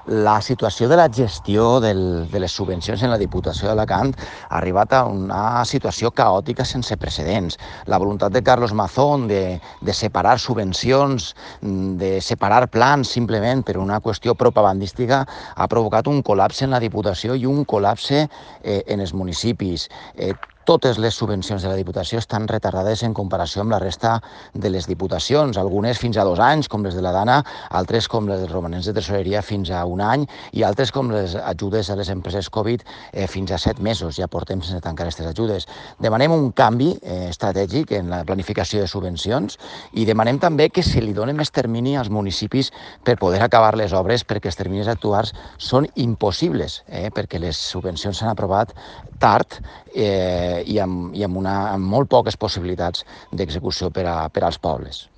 La situació de la gestió de les subvencions en la Diputació d'Alacant ha arribat a una situació caòtica sense precedents. La voluntat de Carlos Mazón de separar subvencions, de separar plans simplement per una qüestió propagandística ha provocat un col·lapse en la Diputació i un col·lapse en els municipis. Totes les subvencions de la Diputació estan retardades en comparació amb la resta de les diputacions, algunes fins a 2 anys, com les de la Dana, altres com les dels romanents de tresoreria fins a 1 any i altres com les ajudes a les empreses Covid fins a 7 mesos. Ja portem sense tancar aquestes ajudes. Demanem un canvi estratègic en la planificació de subvencions i demanem també que se li doni més termini als municipis per poder acabar les obres, perquè els terminis actuals són impossibles, perquè les subvencions s'han aprovat tard i amb molt poques possibilitats d'execució per als pobles.